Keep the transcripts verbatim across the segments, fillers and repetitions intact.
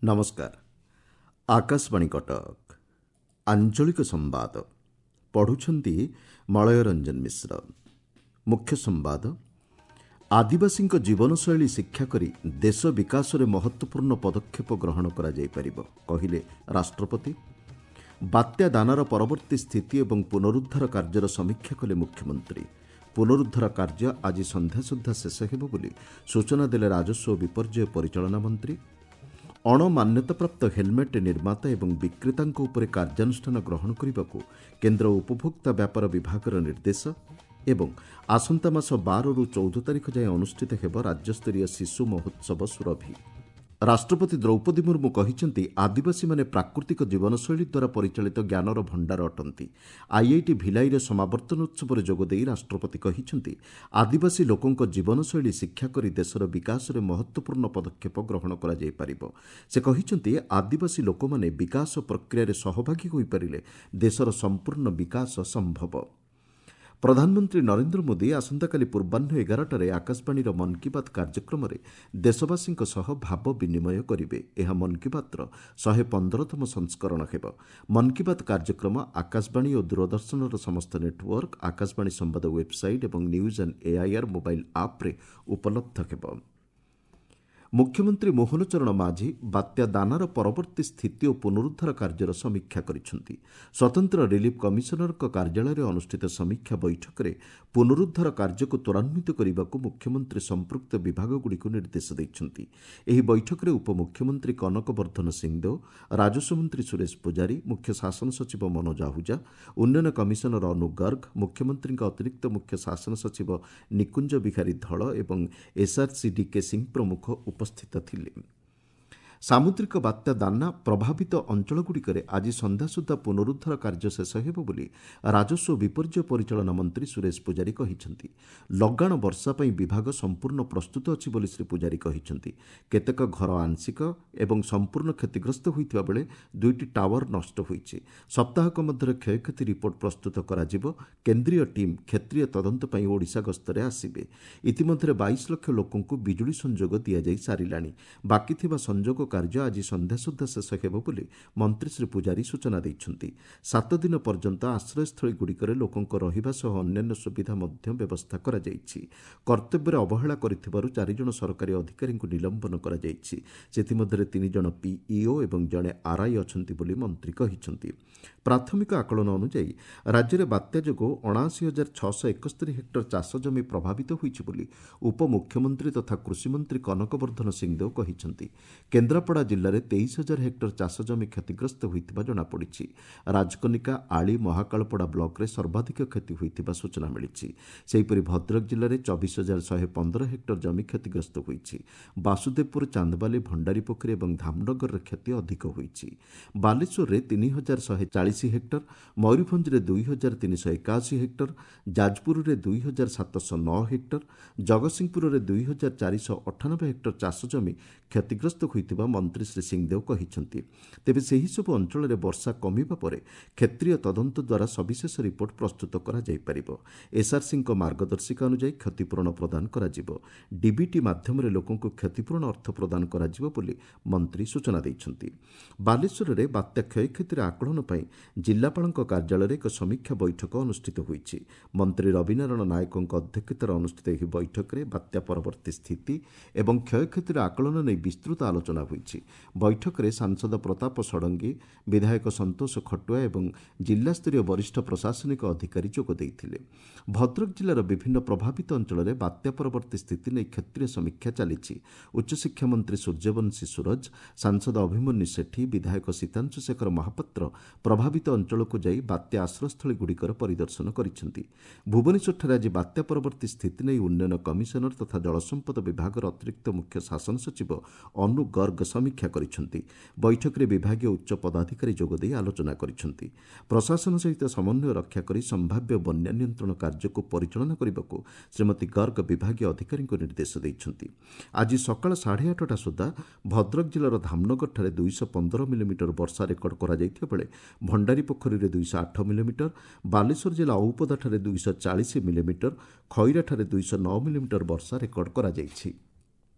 ନମସ୍କାର ଆକାଶବାଣୀ କଟକ ଆଞ୍ଚଳିକ ସମ୍ବାଦ ପଢ଼ୁଛନ୍ତି ମଳୟ ରଞ୍ଜନ ମିଶ୍ର ମୁଖ୍ୟ ସମ୍ବାଦ ଆଦିବାସୀଙ୍କ ଜୀବନଶୈଳୀ ଶିକ୍ଷା କରି ଦେଶ ବିକାଶରେ ମହତ୍ତ୍ୱପୂର୍ଣ୍ଣ ପଦକ୍ଷେପ ଗ୍ରହଣ କରାଯାଇପାରିବ କହିଲେ ରାଷ୍ଟ୍ରପତି ବାତ୍ୟା ଦାନାର ପରବର୍ତ୍ତୀ ସ୍ଥିତି ଏବଂ ପୁନରୁଦ୍ଧାର କାର୍ଯ୍ୟର ସମୀକ୍ଷା କଲେ ମୁଖ୍ୟମନ୍ତ୍ରୀ ପୁନରୁଦ୍ଧାର କାର୍ଯ୍ୟ ଆଜି ସନ୍ଧ୍ୟା ସୁଦ୍ଧା ଶେଷ ହେବ ବୋଲି ସୂଚନା ଦେଲେ ରାଜସ୍ୱ ଓ ବିପର୍ଯ୍ୟୟ ପରିଚାଳନା ମନ୍ତ୍ରୀ ଅଣମାନ୍ୟତାପ୍ରାପ୍ତ ହେଲମେଟ୍ ନିର୍ମାତା ଏବଂ ବିକ୍ରେତାଙ୍କ ଉପରେ କାର୍ଯ୍ୟାନୁଷ୍ଠାନ ଗ୍ରହଣ କରିବାକୁ କେନ୍ଦ୍ର ଉପଭୋକ୍ତା ବ୍ୟାପାର ବିଭାଗର ନିର୍ଦ୍ଦେଶ ଏବଂ ଆସନ୍ତା ମାସ ବାରରୁ ଚଉଦ ତାରିଖ ଯାଏଁ ଅନୁଷ୍ଠିତ ହେବ ରାଜ୍ୟସ୍ତରୀୟ ଶିଶୁ ମହୋତ୍ସବ ସୁରଭି ରାଷ୍ଟ୍ରପତି ଦ୍ରୌପଦୀ ମୁର୍ମୁ କହିଛନ୍ତି ଆଦିବାସୀମାନେ ପ୍ରାକୃତିକ ଜୀବନଶୈଳୀ ଦ୍ୱାରା ପରିଚାଳିତ ଜ୍ଞାନର ଭଣ୍ଡାର ଅଟନ୍ତି ଆଇଆଇଟି ଭିଲାଇରେ ସମାବର୍ତ୍ତନ ଉତ୍ସବରେ ଯୋଗଦେଇ ରାଷ୍ଟ୍ରପତି କହିଛନ୍ତି ଆଦିବାସୀ ଲୋକଙ୍କ ଜୀବନଶୈଳୀ ଶିକ୍ଷା କରି ଦେଶର ବିକାଶରେ ମହତ୍ତ୍ୱପୂର୍ଣ୍ଣ ପଦକ୍ଷେପ ଗ୍ରହଣ କରାଯାଇପାରିବ ସେ କହିଛନ୍ତି ଆଦିବାସୀ ଲୋକମାନେ ବିକାଶ ପ୍ରକ୍ରିୟାରେ ସହଭାଗୀ ହୋଇପାରିଲେ ଦେଶର ସମ୍ପୂର୍ଣ୍ଣ ବିକାଶ ସମ୍ଭବ ପ୍ରଧାନମନ୍ତ୍ରୀ ନରେନ୍ଦ୍ର ମୋଦି ଆସନ୍ତାକାଲି ପୂର୍ବାହ୍ନ ଏଗାରଟାରେ ଆକାଶବାଣୀର ମନ୍ କି ବାତ୍ କାର୍ଯ୍ୟକ୍ରମରେ ଦେଶବାସୀଙ୍କ ସହ ଭାବ ବିନିମୟ କରିବେ ଏହା ମନ୍ କି ବାତ୍ର ଶହେ ପନ୍ଦରତମ ସଂସ୍କରଣ ହେବ ମନ୍ କି ବାତ୍ କାର୍ଯ୍ୟକ୍ରମ ଆକାଶବାଣୀ ଓ ଦୂରଦର୍ଶନର ସମସ୍ତ ନେଟୱାର୍କ ଆକାଶବାଣୀ ସମ୍ବାଦ ୱେବ୍ସାଇଟ୍ ଏବଂ ନ୍ୟୁଜ୍ ଅନ୍ ଏଆଇଆର୍ ମୋବାଇଲ୍ ଆପ୍ରେ ଉପଲବ୍ଧ ହେବ ମୁଖ୍ୟମନ୍ତ୍ରୀ ମୋହନ ଚରଣ ମାଝୀ ବାତ୍ୟା ଦାନାର ପରବର୍ତ୍ତୀ ସ୍ଥିତି ଓ ପୁନରୁଦ୍ଧାର କାର୍ଯ୍ୟର ସମୀକ୍ଷା କରିଛନ୍ତି ସ୍ୱତନ୍ତ୍ର ରିଲିଫ୍ କମିଶନରଙ୍କ କାର୍ଯ୍ୟାଳୟରେ ଅନୁଷ୍ଠିତ ସମୀକ୍ଷା ବୈଠକରେ ପୁନରୁଦ୍ଧାର କାର୍ଯ୍ୟକୁ ତ୍ୱରାନ୍ୱିତ କରିବାକୁ ମୁଖ୍ୟମନ୍ତ୍ରୀ ସମ୍ପୃକ୍ତ ବିଭାଗଗୁଡ଼ିକୁ ନିର୍ଦ୍ଦେଶ ଦେଇଛନ୍ତି ଏହି ବୈଠକରେ ଉପମୁଖ୍ୟମନ୍ତ୍ରୀ କନକ ବର୍ଦ୍ଧନ ସିଂଦେଓ ରାଜସ୍ୱ ମନ୍ତ୍ରୀ ସୁରେଶ ପୂଜାରୀ ମୁଖ୍ୟ ଶାସନ ସଚିବ ମନୋଜ ଆହୁଜା ଉନ୍ନୟନ କମିଶନର ଅନୁ ଗର୍ଗ ମୁଖ୍ୟମନ୍ତ୍ରୀଙ୍କ ଅତିରିକ୍ତ ମୁଖ୍ୟ ଶାସନ ସଚିବ ନିକୁଞ୍ଜ ବିହାରୀ ଧଳ ଏବଂ ଏସ୍ଆର୍ସି ଡିକେ ସିଂ ପ୍ରମୁଖ ଉପସ୍ଥିତ ଥିଲେ ସାମୁଦ୍ରିକ ବାତ୍ୟା ଦାନା ପ୍ରଭାବିତ ଅଞ୍ଚଳଗୁଡ଼ିକରେ ଆଜି ସନ୍ଧ୍ୟା ସୁଦ୍ଧା ପୁନରୁଦ୍ଧାର କାର୍ଯ୍ୟ ଶେଷ ହେବ ବୋଲି ରାଜସ୍ୱ ଓ ବିପର୍ଯ୍ୟୟ ପରିଚାଳନା ମନ୍ତ୍ରୀ ସୁରେଶ ପୂଜାରୀ କହିଛନ୍ତି ଲଗାଣ ବର୍ଷା ପାଇଁ ବିଭାଗ ସମ୍ପୂର୍ଣ୍ଣ ପ୍ରସ୍ତୁତ ଅଛି ବୋଲି ଶ୍ରୀ ପୂଜାରୀ କହିଛନ୍ତି କେତେକ ଘର ଆଂଶିକ ଏବଂ ସମ୍ପୂର୍ଣ୍ଣ କ୍ଷତିଗ୍ରସ୍ତ ହୋଇଥିବା ବେଳେ ଦୁଇଟି ଟାୱାର ନଷ୍ଟ ହୋଇଛି ସପ୍ତାହକ ମଧ୍ୟରେ କ୍ଷୟକ୍ଷତି ରିପୋର୍ଟ ପ୍ରସ୍ତୁତ କରାଯିବ କେନ୍ଦ୍ରୀୟ ଟିମ୍ କ୍ଷେତ୍ରୀୟ ତଦନ୍ତ ପାଇଁ ଓଡ଼ିଶା ଗସ୍ତରେ ଆସିବେ ଇତିମଧ୍ୟରେ ବାଇଶ ଲକ୍ଷ ଲୋକଙ୍କୁ ବିଜୁଳି ସଂଯୋଗ ଦିଆଯାଇ ସାରିଲାଣି ବାକି ଥିବା ସଂଯୋଗ କାର୍ଯ୍ୟ ଆଜି ସନ୍ଧ୍ୟା ସୁଦ୍ଧା ଶେଷ ହେବ ବୋଲି ମନ୍ତ୍ରୀ ଶ୍ରୀ ପୂଜାରୀ ସୂଚନା ଦେଇଛନ୍ତି ସାତ ଦିନ ପର୍ଯ୍ୟନ୍ତ ଆଶ୍ରୟସ୍ଥଳୀଗୁଡ଼ିକରେ ଲୋକଙ୍କ ରହିବା ସହ ଅନ୍ୟାନ୍ୟ ସୁବିଧା ମଧ୍ୟ ବ୍ୟବସ୍ଥା କରାଯାଇଛି କର୍ତ୍ତବ୍ୟରେ ଅବହେଳା କରିଥିବାରୁ ଚାରିଜଣ ସରକାରୀ ଅଧିକାରୀଙ୍କୁ ନିଲମ୍ବନ କରାଯାଇଛି ସେଥିମଧ୍ୟରେ ତିନି ଜଣ ପିଇଓ ଏବଂ ଜଣେ ଆର୍ଆଇ ଅଛନ୍ତି ବୋଲି ମନ୍ତ୍ରୀ କହିଛନ୍ତି ପ୍ରାଥମିକ ଆକଳନ ଅନୁଯାୟୀ ରାଜ୍ୟରେ ବାତ୍ୟା ଯୋଗୁଁ ଅଣାଅଶୀ ହଜାର ଛଅଶହ ଏକସ୍ତରୀ ହେକ୍ଟର ଚାଷ ଜମି ପ୍ରଭାବିତ ହୋଇଛି ବୋଲି ଉପମୁଖ୍ୟମନ୍ତ୍ରୀ ତଥା କୃଷିମନ୍ତ୍ରୀ କନକ ବର୍ଦ୍ଧନ ସିଂଦେଓ କହିଛନ୍ତି କେନ୍ଦ୍ରାପଡ଼ା ଜିଲ୍ଲାରେ ତେଇଶ ହଜାର ହେକ୍ଟର ଚାଷ ଜମି କ୍ଷତିଗ୍ରସ୍ତ ହୋଇଥିବା ଜଣାପଡ଼ିଛି ରାଜକନିକା ଆଳି ମହାକାଳପଡ଼ା ବ୍ଲକରେ ସର୍ବାଧିକ କ୍ଷତି ହୋଇଥିବା ସୂଚନା ମିଳିଛି ସେହିପରି ଭଦ୍ରକ ଜିଲ୍ଲାରେ ଚବିଶ ହଜାର ଶହେ ପନ୍ଦର ହେକ୍ଟର ଜମି କ୍ଷତିଗ୍ରସ୍ତ ହୋଇଛି ବାସୁଦେବପୁର ଚାନ୍ଦବାଲି ଭଣ୍ଡାରୀପୋଖରୀ ଏବଂ ଧାମନଗରରେ କ୍ଷତି ଅଧିକ ହୋଇଛି ବାଲେଶ୍ୱରରେ ତିନି ହଜାର ଶହେ ଚାଳିଶ ହେକ୍ଟର ମୟୂରଭଞ୍ଜରେ ଦୁଇ ହଜାର ତିନିଶହ ଏକାଅଶୀ ହେକ୍ଟର ଯାଜପୁରରେ ଦୁଇ ହଜାର ସାତଶହ ନଅ ହେକ୍ଟର ଜଗତସିଂହପୁରରେ ଦୁଇ ହଜାର ଚାରିଶହ ଅଠାନବେ ହେକ୍ଟର ଚାଷ ଜମି କ୍ଷତିଗ୍ରସ୍ତ ହୋଇଥିବା ମନ୍ତ୍ରୀ ଶ୍ରୀ ସିଂଦେଓ କହିଛନ୍ତି ତେବେ ସେହିସବୁ ଅଞ୍ଚଳରେ ବର୍ଷା କମିବା ପରେ କ୍ଷେତ୍ରୀୟ ତଦନ୍ତ ଦ୍ୱାରା ସବିଶେଷ ରିପୋର୍ଟ ପ୍ରସ୍ତୁତ କରାଯାଇପାରିବ ଏସ୍ଆର୍ସିଙ୍କ ମାର୍ଗଦର୍ଶିକା ଅନୁଯାୟୀ କ୍ଷତିପୂରଣ ପ୍ରଦାନ କରାଯିବ ଡିବିଟି ମାଧ୍ୟମରେ ଲୋକଙ୍କୁ କ୍ଷତିପୂରଣ ଅର୍ଥ ପ୍ରଦାନ କରାଯିବ ବୋଲି ମନ୍ତ୍ରୀ ସୂଚନା ଦେଇଛନ୍ତି ବାଲେଶ୍ୱରରେ ବାତ୍ୟା କ୍ଷୟକ୍ଷତିର ଆକଳନ ପାଇଁ ଜିଲ୍ଲାପାଳଙ୍କ କାର୍ଯ୍ୟାଳୟରେ ଏକ ସମୀକ୍ଷା ବୈଠକ ଅନୁଷ୍ଠିତ ହୋଇଛି ମନ୍ତ୍ରୀ ରବିନାରାୟଣ ନାୟକଙ୍କ ଅଧ୍ୟକ୍ଷତାରେ ଅନୁଷ୍ଠିତ ଏହି ବୈଠକରେ ବାତ୍ୟା ପରବର୍ତ୍ତୀ ସ୍ଥିତି ଏବଂ କ୍ଷୟକ୍ଷତିର ଆକଳନ ନେଇ ବିସ୍ତୃତ ଆଲୋଚନା ହୋଇଛି ବୈଠକରେ ସାଂସଦ ପ୍ରତାପ ଷଡ଼ଙ୍ଗୀ ବିଧାୟକ ସନ୍ତୋଷ ଖଟୁଆ ଏବଂ ଜିଲ୍ଲାସ୍ତରୀୟ ବରିଷ୍ଠ ପ୍ରଶାସନିକ ଅଧିକାରୀ ଯୋଗ ଦେଇଥିଲେ ଭଦ୍ରକ ଜିଲ୍ଲାର ବିଭିନ୍ନ ପ୍ରଭାବିତ ଅଞ୍ଚଳରେ ବାତ୍ୟା ପରବର୍ତ୍ତୀ ସ୍ଥିତି ନେଇ କ୍ଷେତ୍ରୀୟ ସମୀକ୍ଷା ଚାଲିଛି ଉଚ୍ଚଶିକ୍ଷା ମନ୍ତ୍ରୀ ସୂର୍ଯ୍ୟବଂଶୀ ସୂରଜ ସାଂସଦ ଅଭିମନ୍ୟୁ ସେଠୀ ବିଧାୟକ ସୀତାଂଶୁ ଶେଖର ମହାପାତ୍ର ପ୍ରଭାବିତ ଅଞ୍ଚଳକୁ ଯାଇ ବାତ୍ୟା ଆଶ୍ରୟସ୍ଥଳୀଗୁଡ଼ିକର ପରିଦର୍ଶନ କରିଛନ୍ତି ଭୁବନେଶ୍ୱରଠାରେ ଆଜି ବାତ୍ୟା ପରବର୍ତ୍ତୀ ସ୍ଥିତି ନେଇ ଉନ୍ନୟନ କମିଶନର ତଥା ଜଳସମ୍ପଦ ବିଭାଗର ଅତିରିକ୍ତ ମୁଖ୍ୟ ଶାସନ ସଚିବ ଅନୁ ଗର୍ଗ ସମୀକ୍ଷା କରିଛନ୍ତି ବୈଠକରେ ବିଭାଗୀୟ ଉଚ୍ଚ ପଦାଧିକାରୀ ଯୋଗଦେଇ ଆଲୋଚନା କରିଛନ୍ତି ପ୍ରଶାସନ ସହିତ ସମନ୍ୱୟ ରକ୍ଷା କରି ସମ୍ଭାବ୍ୟ ବନ୍ୟା ନିୟନ୍ତ୍ରଣ କାର୍ଯ୍ୟକୁ ପରିଚାଳନା କରିବାକୁ ଶ୍ରୀମତୀ ଗର୍ଗ ବିଭାଗୀୟ ଅଧିକାରୀଙ୍କୁ ନିର୍ଦ୍ଦେଶ ଦେଇଛନ୍ତି ଆଜି ସକାଳ ସାଢ଼େ ଆଠଟା ସୁଦ୍ଧା ଭଦ୍ରକ ଜିଲ୍ଲାର ଧାମନଗରଠାରେ ଦୁଇଶହ ପନ୍ଦର ମିଲିମିଟର ବର୍ଷା ରେକର୍ଡ କରାଯାଇଥିବା ବେଳେ ଭଣ୍ଡାରୀପୋଖରୀରେ ଦୁଇଶହ ଆଠ ମିଲିମିଟର ବାଲେଶ୍ୱର ଜିଲ୍ଲା ଔପଦାଠାରେ ଦୁଇଶହ ଚାଳିଶ ମିଲିମିଟର ଖଇରାଠାରେ ଦୁଇଶହ ନଅ ମିଲିମିଟର ବର୍ଷା ରେକର୍ଡ କରାଯାଇଛି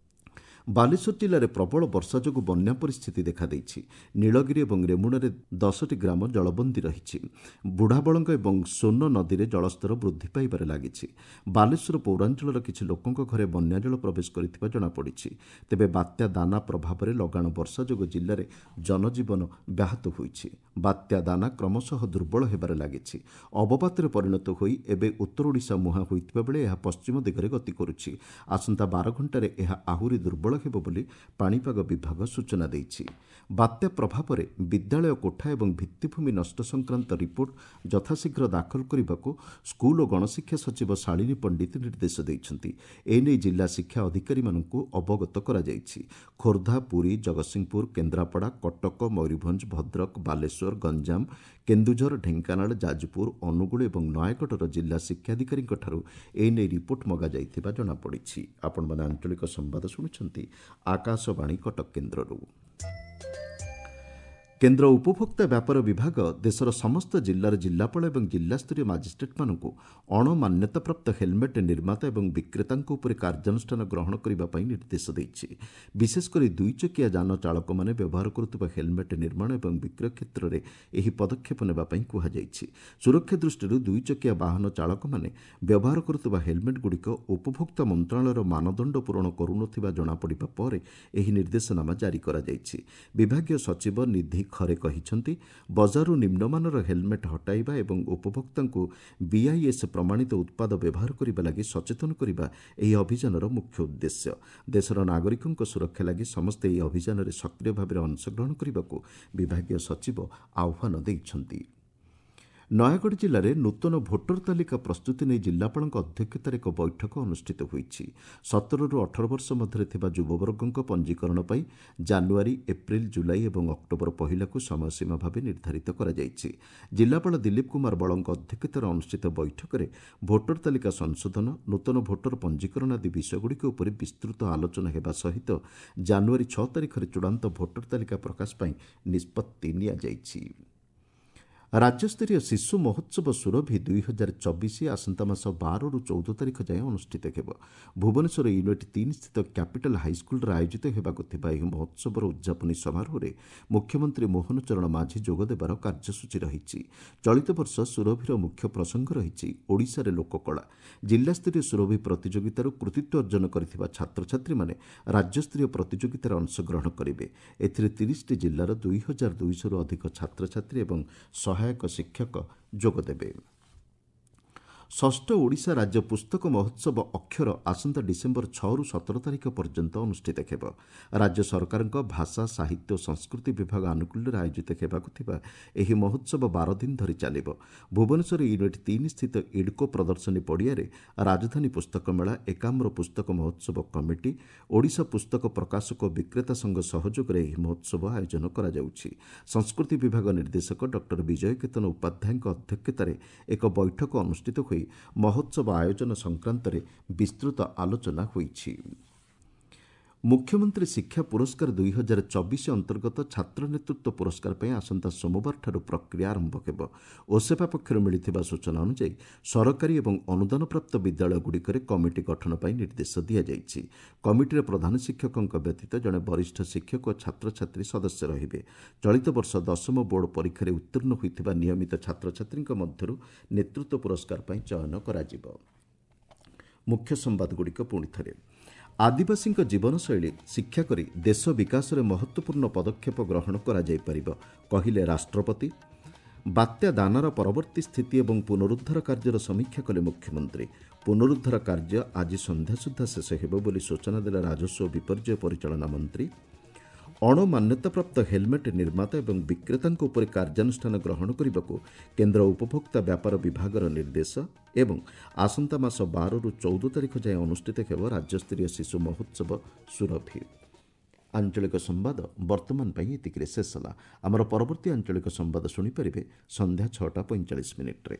ବାଲେଶ୍ୱର ଜିଲ୍ଲାରେ ପ୍ରବଳ ବର୍ଷା ଯୋଗୁଁ ବନ୍ୟା ପରିସ୍ଥିତି ଦେଖାଦେଇଛି। ନୀଳଗିରି ଏବଂ ରେମୁଣାରେ ଦଶଟି ଗ୍ରାମ ଜଳବନ୍ଦୀ ରହିଛି। ବୁଢ଼ାବଳଙ୍ଗ ଏବଂ ସୋନ ନଦୀରେ ଜଳସ୍ତର ବୃଦ୍ଧି ପାଇବାରେ ଲାଗିଛି। ବାଲେଶ୍ୱର ପୌରାଞ୍ଚଳର କିଛି ଲୋକଙ୍କ ଘରେ ବନ୍ୟାଜଳ ପ୍ରବେଶ କରିଥିବା ଜଣାପଡ଼ିଛି। ତେବେ ବାତ୍ୟା ଦାନା ପ୍ରଭାବରେ ଲଗାଣ ବର୍ଷା ଯୋଗୁଁ ଜିଲ୍ଲାରେ ଜନଜୀବନ ବ୍ୟାହତ ହୋଇଛି। ବାତ୍ୟା ଦାନା କ୍ରମଶଃ ଦୁର୍ବଳ ହେବାରେ ଲାଗିଛି। ଅବପାତରେ ପରିଣତ ହୋଇ ଏବେ ଉତ୍ତର ଓଡ଼ିଶା ମୁହାଁ ହୋଇଥିବା ବେଳେ ଏହା ପଶ୍ଚିମ ଦିଗରେ ଗତି କରୁଛି। ଆସନ୍ତା ବାର ଘଣ୍ଟାରେ ଏହା ଆହୁରି ଦୁର୍ବଳ ହେବ ବୋଲି ପାଣିପାଗ ବିଭାଗ ସୂଚନା ଦେଇଛି। ବାତ୍ୟା ପ୍ରଭାବରେ ବିଦ୍ୟାଳୟ କୋଠା ଏବଂ ଭିତ୍ତିଭୂମି ନଷ୍ଟ ସଂକ୍ରାନ୍ତ ରିପୋର୍ଟ ଯଥାଶୀଘ୍ର ଦାଖଲ କରିବାକୁ ସ୍କୁଲ ଓ ଗଣଶିକ୍ଷା ସଚିବ ଶାଳିନୀ ପଣ୍ଡିତ ନିର୍ଦ୍ଦେଶ ଦେଇଛନ୍ତି। ଏନେଇ ଜିଲ୍ଲା ଶିକ୍ଷା ଅଧିକାରୀମାନଙ୍କୁ ଅବଗତ କରାଯାଇଛି। ଖୋର୍ଦ୍ଧା, ପୁରୀ, ଜଗତସିଂହପୁର, କେନ୍ଦ୍ରାପଡ଼ା, କଟକ, ମୟୂରଭଞ୍ଜ, ଭଦ୍ରକ, ବାଲେଶ୍ୱର, ଗଞ୍ଜାମ, କେନ୍ଦୁଝର, ଢେଙ୍କାନାଳ, ଯାଜପୁର, ଅନୁଗୁଳ ଏବଂ ନୟାଗଡ଼ର ଜିଲ୍ଲା ଶିକ୍ଷାଧିକାରୀଙ୍କଠାରୁ ଏନେଇ ରିପୋର୍ଟ ମଗାଯାଇଥିବା ଜଣାପଡ଼ିଛି। ଆପଣମାନେ ଆଞ୍ଚଳିକ ସମ୍ବାଦ ଶୁଣୁଛନ୍ତି ଆକାଶବାଣୀ କଟକ କେନ୍ଦ୍ରରୁ। କେନ୍ଦ୍ର ଉପଭୋକ୍ତା ବ୍ୟାପାର ବିଭାଗ ଦେଶର ସମସ୍ତ ଜିଲ୍ଲାର ଜିଲ୍ଲାପାଳ ଏବଂ ଜିଲ୍ଲାସ୍ତରୀୟ ମାଜିଷ୍ଟ୍ରେଟ୍ମାନଙ୍କୁ ଅଣମାନ୍ୟତାପ୍ରାପ୍ତ ହେଲମେଟ୍ ନିର୍ମାତା ଏବଂ ବିକ୍ରେତାଙ୍କ ଉପରେ କାର୍ଯ୍ୟାନୁଷ୍ଠାନ ଗ୍ରହଣ କରିବା ପାଇଁ ନିର୍ଦ୍ଦେଶ ଦେଇଛି। ବିଶେଷକରି ଦୁଇଚକିଆ ଯାନ ଚାଳକମାନେ ବ୍ୟବହାର କରୁଥିବା ହେଲମେଟ୍ ନିର୍ମାଣ ଏବଂ ବିକ୍ରୟ କ୍ଷେତ୍ରରେ ଏହି ପଦକ୍ଷେପ ନେବା ପାଇଁ କୁହାଯାଇଛି। ସୁରକ୍ଷା ଦୃଷ୍ଟିରୁ ଦୁଇଚକିଆ ବାହନ ଚାଳକମାନେ ବ୍ୟବହାର କରୁଥିବା ହେଲମେଟ୍ଗୁଡ଼ିକ ଉପଭୋକ୍ତା ମନ୍ତ୍ରଣାଳୟର ମାନଦଣ୍ଡ ପୂରଣ କରୁନଥିବା ଜଣାପଡ଼ିବା ପରେ ଏହି ନିର୍ଦ୍ଦେଶନାମା ଜାରି କରାଯାଇଛି। ବିଭାଗୀୟ ସଚିବ ନିଧି ଖରେ କହିଛନ୍ତି, ବଜାରରୁ ନିମ୍ନମାନର ହେଲମେଟ୍ ହଟାଇବା ଏବଂ ଉପଭୋକ୍ତାଙ୍କୁ ବିଆଇଏସ୍ ପ୍ରମାଣିତ ଉତ୍ପାଦ ବ୍ୟବହାର କରିବା ଲାଗି ସଚେତନ କରିବା ଏହି ଅଭିଯାନର ମୁଖ୍ୟ ଉଦ୍ଦେଶ୍ୟ। ଦେଶର ନାଗରିକଙ୍କ ସୁରକ୍ଷା ଲାଗି ସମସ୍ତେ ଏହି ଅଭିଯାନରେ ସକ୍ରିୟ ଭାବରେ ଅଂଶଗ୍ରହଣ କରିବାକୁ ବିଭାଗୀୟ ସଚିବ ଆହ୍ୱାନ ଦେଇଛନ୍ତି। ନୟାଗଡ଼ ଜିଲ୍ଲାରେ ନୂତନ ଭୋଟର ତାଲିକା ପ୍ରସ୍ତୁତି ନେଇ ଜିଲ୍ଲାପାଳଙ୍କ ଅଧ୍ୟକ୍ଷତାରେ ଏକ ବୈଠକ ଅନୁଷ୍ଠିତ ହୋଇଛି। ସତରରୁ ଅଠର ବର୍ଷ ମଧ୍ୟରେ ଥିବା ଯୁବବର୍ଗଙ୍କ ପଞ୍ଜୀକରଣ ପାଇଁ ଜାନୁଆରୀ, ଏପ୍ରିଲ, ଜୁଲାଇ ଏବଂ ଅକ୍ଟୋବର ପହିଲାକୁ ସମୟସୀମା ଭାବେ ନିର୍ଦ୍ଧାରିତ କରାଯାଇଛି। ଜିଲ୍ଲାପାଳ ଦିଲ୍ଲୀପ କୁମାର ବଳଙ୍କ ଅଧ୍ୟକ୍ଷତାରେ ଅନୁଷ୍ଠିତ ବୈଠକରେ ଭୋଟର ତାଲିକା ସଂଶୋଧନ, ନୂତନ ଭୋଟର ପଞ୍ଜୀକରଣ ଆଦି ବିଷୟଗୁଡ଼ିକ ଉପରେ ବିସ୍ତୃତ ଆଲୋଚନା ହେବା ସହିତ ଜାନୁଆରୀ ଛଅ ତାରିଖରେ ଚୂଡ଼ାନ୍ତ ଭୋଟର ତାଲିକା ପ୍ରକାଶ ପାଇଁ ନିଷ୍ପତ୍ତି ନିଆଯାଇଛି। ରାଜ୍ୟସ୍ତରୀୟ ଶିଶୁ ମହୋତ୍ସବ ସୁରଭି ଦୁଇ ହଜାର ଚବିଶ ଆସନ୍ତା ମାସ ବାରରୁ ଚଉଦ ତାରିଖ ଯାଏଁ ଅନୁଷ୍ଠିତ ହେବ। ଭୁବନେଶ୍ୱର ୟୁନିଟ୍ ତିନି ସ୍ଥିତ କ୍ୟାପିଟାଲ ହାଇସ୍କୁଲରେ ଆୟୋଜିତ ହେବାକୁ ଥିବା ଏହି ମହୋତ୍ସବର ଉଦ୍ଯାପନୀ ସମାରୋହରେ ମୁଖ୍ୟମନ୍ତ୍ରୀ ମୋହନ ଚରଣ ମାଝୀ ଯୋଗଦେବାର କାର୍ଯ୍ୟସୂଚୀ ରହିଛି। ଚଳିତ ବର୍ଷ ସୁରଭିର ମୁଖ୍ୟ ପ୍ରସଙ୍ଗ ରହିଛି ଓଡ଼ିଶାରେ ଲୋକକଳା। ଜିଲ୍ଲାସ୍ତରୀୟ ସୁରଭି ପ୍ରତିଯୋଗିତାରୁ କୃତିତ୍ୱ ଅର୍ଜନ କରିଥିବା ଛାତ୍ରଛାତ୍ରୀମାନେ ରାଜ୍ୟସ୍ତରୀୟ ପ୍ରତିଯୋଗିତାରେ ଅଂଶଗ୍ରହଣ କରିବେ। ଏଥିରେ ତିରିଶଟି ଜିଲ୍ଲାର ଦୁଇ ହଜାର ଦୁଇଶହରୁ ଅଧିକ ଛାତ୍ରଛାତ୍ରୀ ଏବଂ ସହାୟକ ଶିକ୍ଷକ ଯୋଗଦେବେ। ଷଷ୍ଠ ଓଡ଼ିଶା ରାଜ୍ୟ ପୁସ୍ତକ ମହୋତ୍ସବ ଅକ୍ଷର ଆସନ୍ତା ଡିସେମ୍ବର ଛଅରୁ ସତର ତାରିଖ ପର୍ଯ୍ୟନ୍ତ ଅନୁଷ୍ଠିତ ହେବ। ରାଜ୍ୟ ସରକାରଙ୍କ ଭାଷା, ସାହିତ୍ୟ ଓ ସଂସ୍କୃତି ବିଭାଗ ଆନୁକୂଲ୍ୟରେ ଆୟୋଜିତ ହେବାକୁ ଥିବା ଏହି ମହୋତ୍ସବ ବାର ଦିନ ଧରି ଚାଲିବ। ଭୁବନେଶ୍ୱର ୟୁନିଟ୍ ତିନି ସ୍ଥିତ ଇଡ୍କୋ ପ୍ରଦର୍ଶନୀ ପଡ଼ିଆରେ ରାଜଧାନୀ ପୁସ୍ତକ ମେଳା, ଏକାମ୍ର ପୁସ୍ତକ ମହୋତ୍ସବ କମିଟି, ଓଡ଼ିଶା ପୁସ୍ତକ ପ୍ରକାଶକ ଓ ବିକ୍ରେତା ସଂଘ ସହଯୋଗରେ ଏହି ମହୋତ୍ସବ ଆୟୋଜନ କରାଯାଉଛି। ସଂସ୍କୃତି ବିଭାଗ ନିର୍ଦ୍ଦେଶକ ଡକ୍ଟର ବିଜୟ କେତନ ଉପାଧ୍ୟାୟଙ୍କ ଅଧ୍ୟକ୍ଷତାରେ ଏକ ବୈଠକ ଅନୁଷ୍ଠିତ ହୋଇ ମହୋତ୍ସବ ଆୟୋଜନ ସଂକ୍ରାନ୍ତରେ ବିସ୍ତୃତ ଆଲୋଚନା ହୋଇଛି। ମୁଖ୍ୟମନ୍ତ୍ରୀ ଶିକ୍ଷା ପୁରସ୍କାର ଦୁଇ ହଜାର ଚବିଶ ଅନ୍ତର୍ଗତ ଛାତ୍ର ନେତୃତ୍ୱ ପୁରସ୍କାର ପାଇଁ ଆସନ୍ତା ସୋମବାରଠାରୁ ପ୍ରକ୍ରିୟା ଆରମ୍ଭ ହେବ। ଓସେପା ପକ୍ଷରୁ ମିଳିଥିବା ସୂଚନା ଅନୁଯାୟୀ ସରକାରୀ ଏବଂ ଅନୁଦାନପ୍ରାପ୍ତ ବିଦ୍ୟାଳୟଗୁଡ଼ିକରେ କମିଟି ଗଠନ ପାଇଁ ନିର୍ଦ୍ଦେଶ ଦିଆଯାଇଛି। କମିଟିରେ ପ୍ରଧାନ ଶିକ୍ଷକଙ୍କ ବ୍ୟତୀତ ଜଣେ ବରିଷ୍ଠ ଶିକ୍ଷକ ଓ ଛାତ୍ରଛାତ୍ରୀ ସଦସ୍ୟ ରହିବେ। ଚଳିତ ବର୍ଷ ଦଶମ ବୋର୍ଡ ପରୀକ୍ଷାରେ ଉତ୍ତୀର୍ଣ୍ଣ ହୋଇଥିବା ନିୟମିତ ଛାତ୍ରଛାତ୍ରୀଙ୍କ ମଧ୍ୟରୁ ନେତୃତ୍ୱ ପୁରସ୍କାର ପାଇଁ ଚୟନ କରାଯିବ। ମୁଖ୍ୟ ସମ୍ବାଦଗୁଡ଼ିକ ପୁଣି ଥରେ। ଆଦିବାସୀଙ୍କ ଜୀବନଶୈଳୀ ଶିକ୍ଷା କରି ଦେଶ ବିକାଶରେ ମହତ୍ତ୍ୱପୂର୍ଣ୍ଣ ପଦକ୍ଷେପ ଗ୍ରହଣ କରାଯାଇପାରିବ, କହିଲେ ରାଷ୍ଟ୍ରପତି। ବାତ୍ୟା ଦାନାର ପରବର୍ତ୍ତୀ ସ୍ଥିତି ଏବଂ ପୁନରୁଦ୍ଧାର କାର୍ଯ୍ୟର ସମୀକ୍ଷା କଲେ ମୁଖ୍ୟମନ୍ତ୍ରୀ। ପୁନରୁଦ୍ଧାର କାର୍ଯ୍ୟ ଆଜି ସନ୍ଧ୍ୟା ସୁଦ୍ଧା ଶେଷ ହେବ ବୋଲି ସୂଚନା ଦେଲେ ରାଜସ୍ୱ ଓ ବିପର୍ଯ୍ୟୟ ପରିଚାଳନା ମନ୍ତ୍ରୀ। ଅଣମାନ୍ୟତାପ୍ରାପ୍ତ ହେଲମେଟ୍ ନିର୍ମାତା ଏବଂ ବିକ୍ରେତାଙ୍କ ଉପରେ କାର୍ଯ୍ୟାନୁଷ୍ଠାନ ଗ୍ରହଣ କରିବାକୁ କେନ୍ଦ୍ର ଉପଭୋକ୍ତା ବ୍ୟାପାର ବିଭାଗର ନିର୍ଦ୍ଦେଶ। ଏବଂ ଆସନ୍ତା ମାସ ବାରରୁ ଚଉଦ ତାରିଖ ଯାଏଁ ଅନୁଷ୍ଠିତ ହେବ ରାଜ୍ୟସ୍ତରୀୟ ଶିଶୁ ମହୋତ୍ସବ ସୁରଭି। ଆଞ୍ଚଳିକ ସମ୍ବାଦ ବର୍ତ୍ତମାନ ପାଇଁ ଏତିକିରେ ଶେଷ ହେଲା। ଆମର ପରବର୍ତ୍ତୀ ଆଞ୍ଚଳିକ ସମ୍ବାଦ ଶୁଣିପାରିବେ ସନ୍ଧ୍ୟା ଛଅଟା ପଇଁଚାଳିଶ ମିନିଟ୍ରେ।